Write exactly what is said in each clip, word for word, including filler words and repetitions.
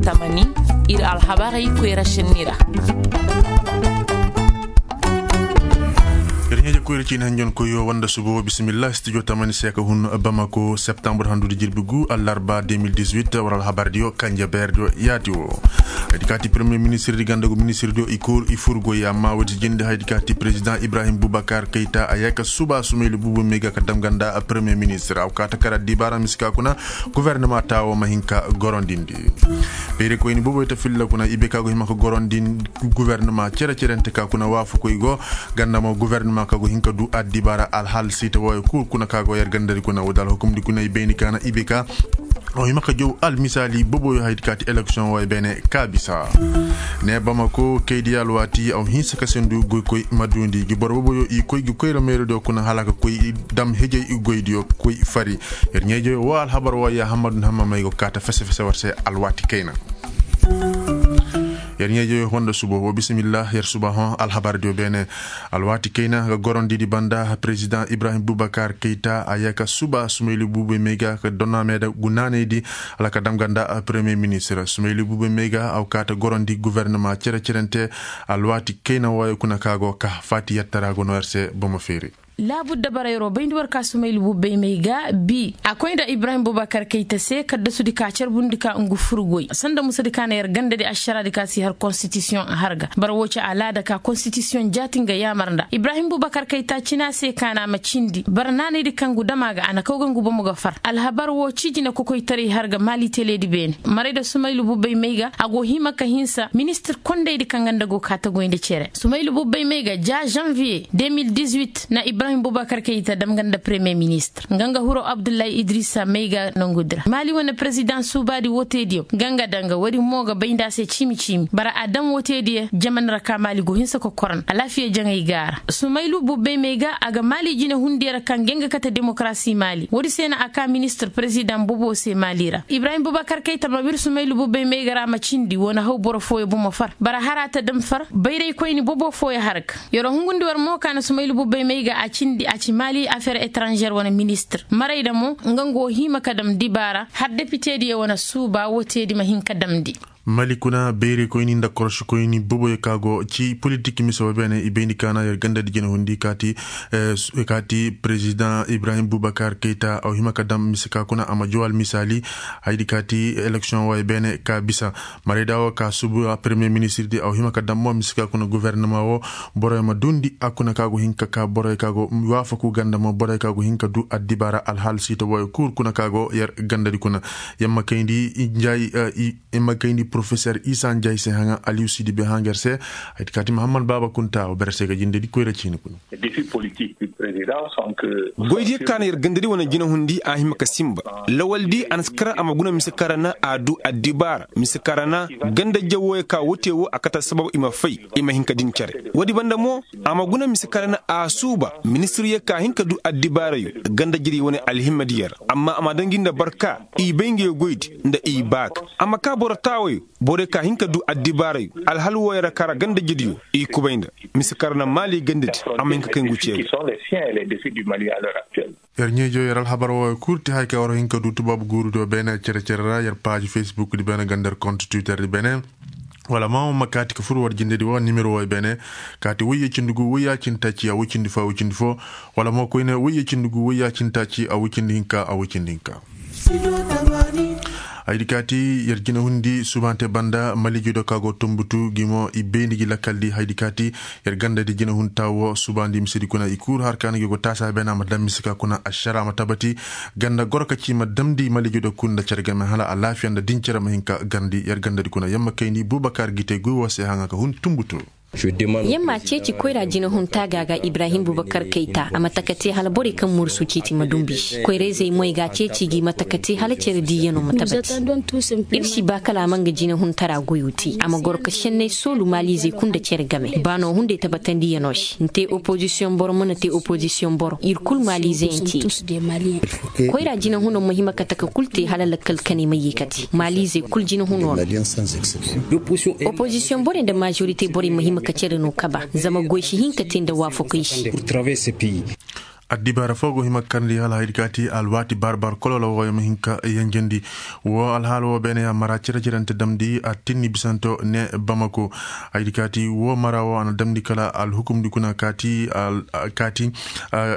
Tamani, ir alhabarey koyra senni ra. Ir ɲeeje koyra ciini hanjoŋ koyo wanda subo bisimillah studio tamani se ka hun bamako septembre handu di jirbi gu allarba deux mille dix-huit war alhabar diyo kanje beer diyo yaati wo. Haydi kaati premier ministre di ganda gu ministre diyo i kul i fur goy amma wodi jindi haydi kaati président ibrahim bubakar kayta a yaka suba sumayli bubu mega ka dam ganda premier ministre aw kaata kara dibara miska kuna gouvernement taawo ma hin ka gorondindi. Beeri koyni boboy ta filla kuna ibe ka go hima ka gorondin gouvernement cere-cerente ka kuna waafakoy go ganda mo gouvernement ka go hin ka du addibaara alhal siita wooyo kul kuna ka go yer gandari kuna woo da alhukumdi kuna i bayni ka na ibe ka. Aw hima ka jow almisaali boboyo haydi kaati election wooyo beene ka bisa. Ne bamako kaydi alwaati aw hinsa ka sendu goykoy ma duundi gi boro boboyo i koy gi koyra meerodiyo kuna hala ka koy dam hejey i goydiyo koy fari. Yer ɲeejoyo woo alhabar woo yaahammadu nhamma may go kaata fese-fese war se alwaati kayna. Yer ɲeejoyo honda subo woo bisimillah yer suba hõ alhabar diyo beene. Alwaati kayna ga gorondidi banda président ibrahim bubakar kayta a yaka suba sumayli bube mega ka donna meeda gu naanaydi hala ka dam ganda premier ministre sumayli bube mega aw kaata gorondi gouvernement cere-cerente. Alwaati kayna wooyo kuna ka go ka faati yattara go no yer se bomo feeri. Laabudda bara yeroo bayndi war ka sumaylu bubbey may ga bi a koy nda ibrahim bubakar kayta se kaddasudi ka carbundi ka ngu furgoy sanda musadi ka na yer gandadi ašaradi ka si har konstitisiyoŋ a har ga bara woo ci alaada ka konstitisiyoŋ jaati nga yaamar nda ibrahim bubakar kayta cina se ka na a ma cindi bara naanaydi kaŋ gu dama ga a na kaw ga ngu bomo ga far alhabar woo ci jine kokoytaray har ga maali teleedi beene maray nda sumaylu bubbey may ga a go hima ka hinsa ministir kondaydi kaŋ nga nda go ka tagoy nda cere sumaylu bubbey may ga ja janvier deux mille dix-huit na ibrahim bubakar kayta dam nga nda premier ministre nga nga hiro abdullahi idrisa may ga nongudi ra maali wane président suubaadi woteediyo nga nga danga woodi mo ga bay nda a se ciimi-ciimi bara a dam woteediyo jamani ra ka maali go hinsa kokoran alaafiya jaŋay ga a ra sumaylu bubbey may ga a ga maali jine hundiyo ra kaŋ ga nga kate demokarasi maali woodi se na a ka ministir président bobo se maali ra ibrahim bubakar kayta ma wir sumaylu bubbey may ga ra ma cindi wane haw boro fooyo bomo far bara hara ta dam far bayraykoyni bobo fooyo har ga yeroo hungundi war mo ka na sumaylu bubbey may ga a cindi a ci maali afeer etranžer wane ministir maray nda mo nga ngu hima ka dam dibaara har depitediyo wane suuba woteedi ma hin ka damndi. Mali kuna beerikoyni nda korosikoyni boboyo ka go ci politik mise wo beene i bayndi ka na yer gandadi jinahundi kaati kaati président ibrahim bubakar kayta aw hima ka dam mise ka kuna a ma jow almisaali haydi kaati eleksiyoŋ wo beene ka bisa. Marayda wo ka subu a premier ministirdi aw hima ka dam mo mise ka kuna gouvernement wo boroyo ma duundi a kuna ka go hin ka ka boroyo ka go waafaku ganda mo boroyo ka go hin ka du addibaara alhaal siita woyo kul kuna ka go yer gandadi kuna. Yamma kayndi njaayi i ma kayndi porofeser isa njaayi se haŋa aliyu sidibe haŋa yer se. Haydi kaati mahammad baaba kunta wo bere se ga jindedi koyra ciini kuna. Goydiyo ka na yer gandadi wane jinahundi a hima ka sinba lawaldi a na si kara a ma guna mise kaŋ ra na a du addibaara mise kaŋ ra na ganda jawooyo ka wote wo a kate assabab i ma fay i ma hin ka din cere. Woodi banda mo a ma guna mise kaŋ ra na a suuba ministiryo ka hin ka du addibaarayo ganda jiri wane alhimmadiyo ra amma a ma daŋ gi nda barka i bay ngey goydi nda i baaka a ma ka boro taawayo borey ka hin ka du addibaarayo alhal wooyo ra ka ra ganda jiriyo i kubay nda mise kaŋ ra na maali gandadi a ma hin ka kay ngu ceeri. Yer ɲeejo yer alhabar wooyo kul te haya kaŋ war hin ka du tubaabu guuru do beene cere-cere ra yer paaji facebook di beene ganda yer kont twitter di beene. Wala ma wo ma kaati ka fur war jinde di wo nimero wooyo beene kaati woyye cindi gu woyya cindi taaci a woy cindi fo a woy cindi fo. Wala mo koyne woyye cindi gu woyya cindi taaci a woy cindi hinka a woy cindi hinka. Haydi kaati yer jinahundi subaante banda malijo do ka go tumbutu gi mo i bayndi gi lakkal di haydi kaati yer ganda di jinahunta wo subaandi misedi kuna i kul har ka na gi go taasa beene a ma daŋ mise ka kuna ašara ma tabati. Ganda goro ka ci ma damndi malijo do kul nda cere game hala alaafiya nda din cere ma hin ka garndi yer ganda di kuna yamma kayndi bubakar gite guy wo se haŋa ka hun tumbutu. Yamma ceeci koyra jinahunta ga ga ibrahim bubakar kayta a ma taka te hala borey kaŋ mursu ciiti ma dumbu i se koyra-izey moy ga ceeci gi ma taka te hala cere diiyano ma tabati. Ir si ba kala a ma nga jinahuntara goyo te a ma goro ka senney soolu maaliizey kul nda cere game baano hunday tabatandiyanoo se nte opozisiyoŋ boro mana te opozisiyoŋ boro ir kul maaliizey yaŋ te. Koyra jinahunoo ma hima ka taka kul te hala lakkal kaney ma yee ka te maaliizey kul jinahunoo no. Opozisiyoŋ borey nda maazorite borey ma hima ka cere no kaba zama goy si hin ka te nda waafakoy se. Addibaara foo go hima karndi hala haydi kaati alwaati barbar kolola woo ya ma hin ka yanjandi. Woo alhaala woo beene ya mara cere-cerente damndi a tinni bisanto ne bamako. Haydi kaati woo mara woo a na damndi kala alhukumdi kuna kaati.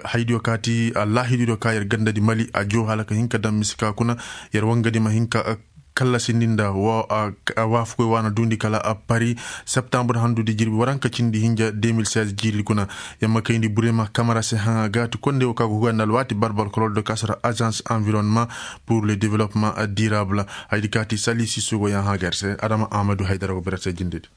Haydiyo kaati allaahidiyo ka yer gandadi mali a joo hala ka hin ka dam mise ka kuna. Yer wangadi ma hin ka kallasindi nda woo a waafakoy woo a na duundi kala a pari septambur handudi jirbi waranka cindi hinja deux mille seize jiiri kuna. Yamma kayndi burema kamara se haŋa gaati konde woo ka go huga nda alwaati barbar kolol do kasara agence environnement pour le développement durable. Haydi kaati sali sisugo yaŋ haga yer se adama amadu haydara go bere se jindedi.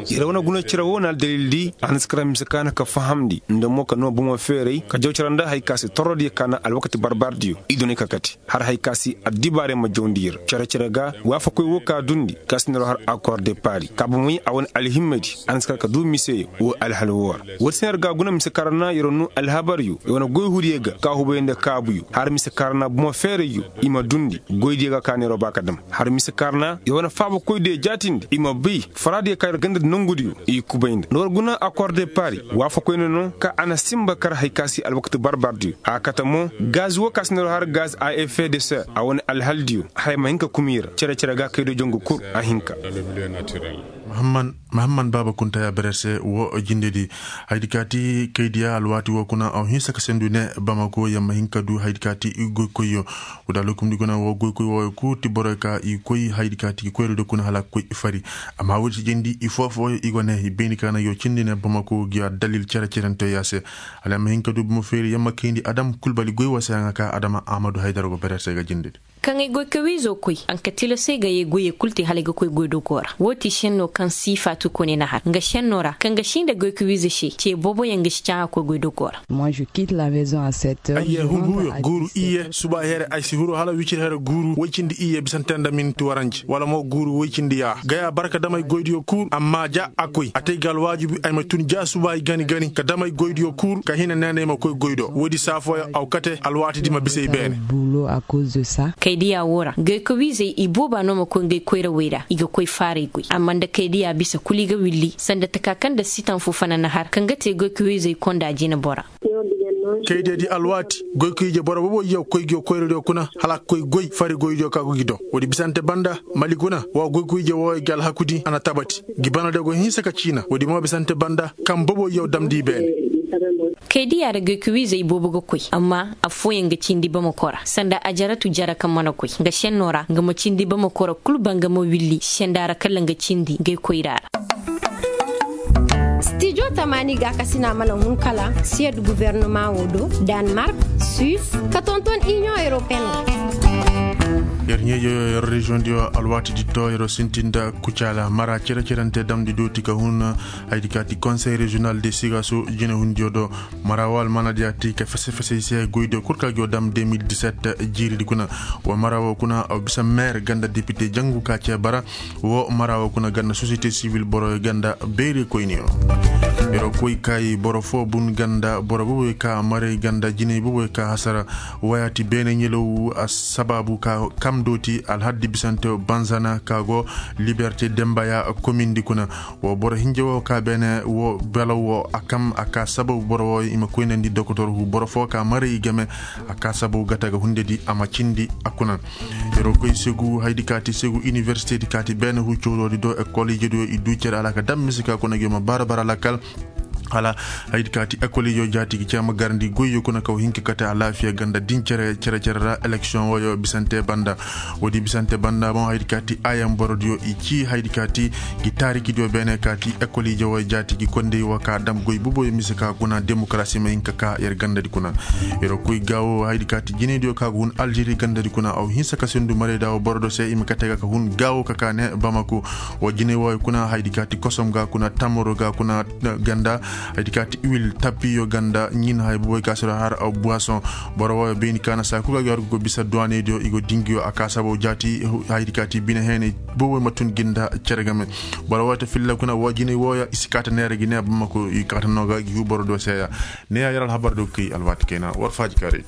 Yer wane guna cere woo na aldalildi a na si kara mise ka na ka fahamndi nda mo ka noo bomo feeray ka jaw cere nda hari ka se torrodiyo ka na alwakati barbardiyo i dunay ka kate. Har hari ka se addibaarey ma jawndi yer cere-cere ga waafakoy woo ka duundi ka si na yer har akor de pari ka bomey a wane alhimmadi a na si kara ka duu miseyo woo alhal woo ra. Woodi se na yer ga guna mise ka ra na yer noo alhabaryo yer wane goy hudiyo ga ka hubay nda kaabuyo har mise ka ra na bomo feerayyo i ma duundi goydiyo ga ka neeroo ba ka dam. Har mise ka ra na yer wane faabakoydiyo jaatindi i ma bay faraadiyo ka yer gandadi nongudiyo i kubay nda nda war guna akor de pari waafakoyne no ka a na sinba kar hari ka se alwakati barbardiyo a kate mo gaz woo ka se na yer har gaz a effet de ser a wane alhaldiyo haya ma hin ka kumiira cere-cere ga kaydo jongu kul a hin ka. Mahamman baaba kunta ya bere se woo jindedi. Haydi kaati kaydiya alwaati woo kuna aw hinsa ka sendu ne bamako yamma hin ka duu haydi kaati goykoyyo. Woo da lokumdi kuna woo goykoy wooyo kul ti boroyo ka i koy haydi kaati koyri do kuna hala koy fari. Amma woodi si jindi i foo-fooyo i go ne i bayni ka na yoo cindi ne bamako gi addalil cere-cerenteyo ya se. Hala yamma hin ka duu bomo feeri yamma kayndi adam kulbali goy woo se yaŋa ka adama amadu haydara go bere se ga jindedi. Kaŋ ay goy ka wiizo koy a na ka tilasay ga yee goyey kul te hala ay ga koy goydogoo ra woo ti šennoo kaŋ siifaatu kone na har nga šennoo ra kaŋ ga sii nda goy ka wiizo se ce booboyaŋ ga si caŋ a koy goydogoo ra. Ay yee hunguyo guuru iyye suba here ay si huru hala wicir here guuru woy cindi iyye bisante nda minti waranji wala mo guuru woy cindi yaa gaya barka damay goydiyo kul amma ja a koy a te ay ga alwaajibi ay ma tun ja suba ay gani-gani ka damay goydiyo kul ka hina neena ay ma koy goy do woodi saa fooyaŋ aw kate alwaatidi ma bisa ay beene. Kaydiya woo ra goykowiizey ibooba no ma koy ngey koyrawey ra i ga koy faaray goy amma nda kaydiya bisa kul i ga willi sanda taka kaŋ nda sitan foo fana na har kaŋ ga te goykowiizey konda jina bora. Kaydiya di alwaati goykowiije boro boobo yaw koy gi koyradiyo kuna hala a ga koy goy fari goydiyo ka go gi do woodi bisante banda mali kuna wa goykowiije wooyo gi alhakudi a na tabati gi bana de go hinsa ka ciina woodi mo bisante banda kaŋ bobo yaw damndi beene. Kaydiya ra goykowiizey boobo ga koy amma affooyaŋ ga cindi bamako ra sanda ajaratu jara kaŋ mana koy nga šennoo ra nga ma cindi bamako ra kul ba nga ma willi senda ra kala nga cindi goykoyra ra. Stijo tamaani gaakasina mana hun kala siyed guwernama woo do, danmark, suis, ka tonton iniyoŋ europeen. Yer ɲeejo yer reziyoŋ diyo alwaati di to yeroo sintin nda kucaala mara cere-cerante damndi dooti ka hun. Haydi kaati konsey reziyonal de sigaaso jinehundiyo do mara woo almaana diya ti ka fese-fese i se goydiyo kul ka gi woo dam deux mille dix-sept jiiridi kuna. Wa mara woo kuna aw bisa meer ganda depite jangu ka cee bara. Woo mara woo kuna ganda sosiyete sivil boroyo ganda beeri koyniyo. Yeroo koy kaayi boro foo bun ganda boro boboyo ka maray ganda jinay boboyo ka hasara. Wayaati beene ɲelaw a sabaabu ka kam dooti alhaddi bisante banzana ka go liberte dembaya komindi kuna. Woo boro hinja woo ka beene woo belaw woo a kam a ka sababu boro woo i ma koynandi dokotor hu boro foo ka maray i game. A ka sababu gata ga hundedi a ma cindi a kuna. Yeroo koy segu haydi kaati segu iniversitedi kaati beene hu cowroodi do ekol ijediyo i duu cere hala ka dam mise ka kuna gi yo ma bara bara lakal. Hala haydi kaati ekol ijo jaatigi cee ma garandi goyyo kuna kaw hinka kate alaafiya ganda din cere cere ra eleksiyoŋ wooyo bisante banda. Woodi bisante banda mo haydi kaati ayan borodiyo i cii haydi kaati gi taarikidiyo beene kaati ekol ijo wooyo jaatigi kondey woo ka dam goy boboyo mise ka kuna demokarasi ma hinka ka yer gandadi kuna. Yeroo koy gaawo haydi kaati jinaydiyo ka go hun aljeri gandadi kuna aw hinsa ka sendu marayda woo borodo se i ma kate ga ka hun gaawo ka ka ne bamako. Woo jinay wooyo kuna haydi kaati kosom ga kuna tamaro ga kuna ganda. Haydi kaati iwil tapiyo ganda ɲin hay boboy ka siro har aw buwasoŋ. Boro wooyo bayni ka na saa kul ga gi har go bisa duwaneydiyo i go dingiyo a ka sababu jaati. Haydi kaati bine heenay boboy ma tun gi nda cere game. Boro wooyo ta filla kuna woo jinay wooyo i si kaata neera gi ne bamako i kaata no ga gi hu boro do seeya. Neeya yer alhabar do kay alwaati kayna war faaji kaaraydi.